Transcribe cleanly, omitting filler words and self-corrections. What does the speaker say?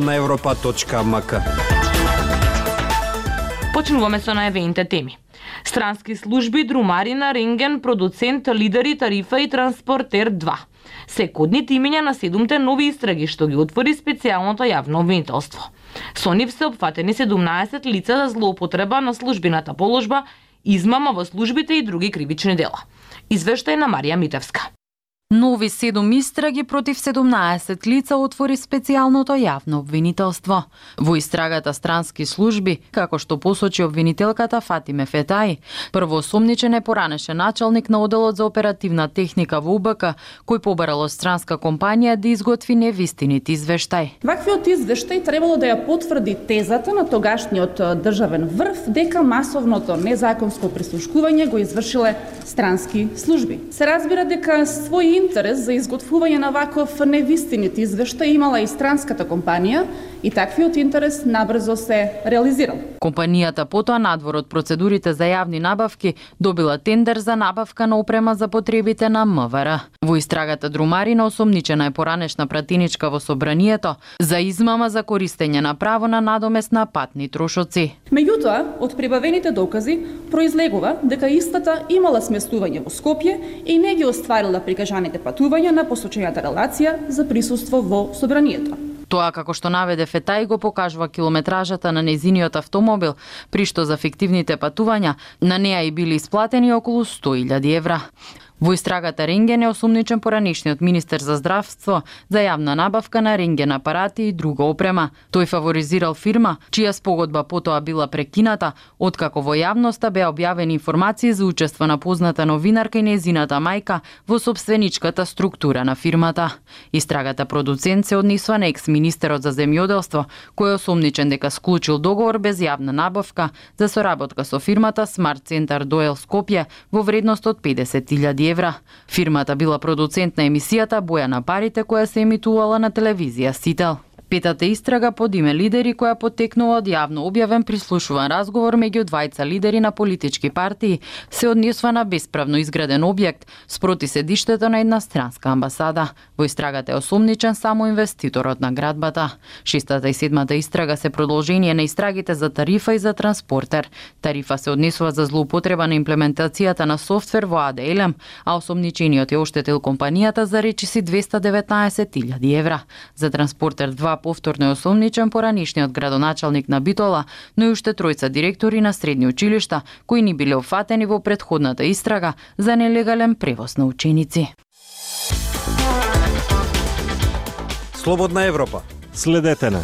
на Европа.мк. Почнуваме со најавените теми. Странски служби, друмарина, рентген, продуцент, лидери, тарифа и транспортер 2. Се кодните имења на 7 нови истраги што ги отвори специјалното јавно обвинителство. Со нив се опфатени 17 лица за злоупотреба на службената положба, измама во службите и други кривични дела. Извештај на Марија Митевска. Нови 7 истраги против 17 лица отвори специјалното јавно обвинителство. Во истрагата странски служби, како што посочи обвинителката Фатиме Фетаи, првоосомничен е поранешен началник на оделот за оперативна техника во УБК, кој побарал од странска компанија да изготви невистинит извештај. Ваквиот извештај требало да ја потврди тезата на тогашниот државен врв дека масовното незаконско прислушкување го извршиле странски служби. Се разбира дека свој интерес за изготвување на ваков невистинит извештај имала и странската компанија и таквиот интерес набрзо се реализирал. Компанијата потоа надвор од процедурите за јавни набавки добила тендер за набавка на опрема за потребите на МВР. Во истрагата друмарина осомничена е поранешна пратеничка во собранието за измама за користење на право на надомест на патни трошоци. Меѓутоа, од прибавените докази произлегува дека истата имала сместување во Скопје и не ги остварила прикажаните патувања на посочената релација за присуство во собранието. Тоа, како што наведе Фетаи, го покажува километражата на нејзиниот автомобил, при што за фиктивните патувања на неа и били исплатени околу 100.000 евра. Во истрагата рентген е осумничен поранишниот министер за здравство за јавна набавка на рентген апарати и друга опрема. Тој фаворизирал фирма, чија спогодба потоа била прекината, откако во јавноста беа објавени информации за учество на позната новинарка и нејзината мајка во собственичката структура на фирмата. Истрагата продуцент се однесува на екс-министерот за земјоделство, кој е осумничен дека склучил договор без јавна набавка за соработка со фирмата Smart Center Doel Скопје во вредност од 50.000 евра. Фирмата била продуцент на емисијата Боја на парите, која се емитувала на телевизија Сител. Петата истрага под име Лидери, која потекнува од јавно објавен прислушуван разговор меѓу двајца лидери на политички партии, се однесува на бесправно изграден објект спроти седиштето на една странска амбасада. Во истрагата е осумничен само инвеститорот на градбата. 6-та и 7-та истрага се продолжение на истрагите за тарифа и за транспортер. Тарифа се однесува за злоупотреба на имплементацијата на софтвер во АД-Елем, а осомничениот е оштетил компанијата за речиси 219.000 евра. За транспортер 2 повторно е осомничен поранишниот градоначалник на Битола, но и уште тројца директори на средни училишта кои ни биле офатени во претходната истрага за нелегален превоз на ученици. Слободна Европа. Следете на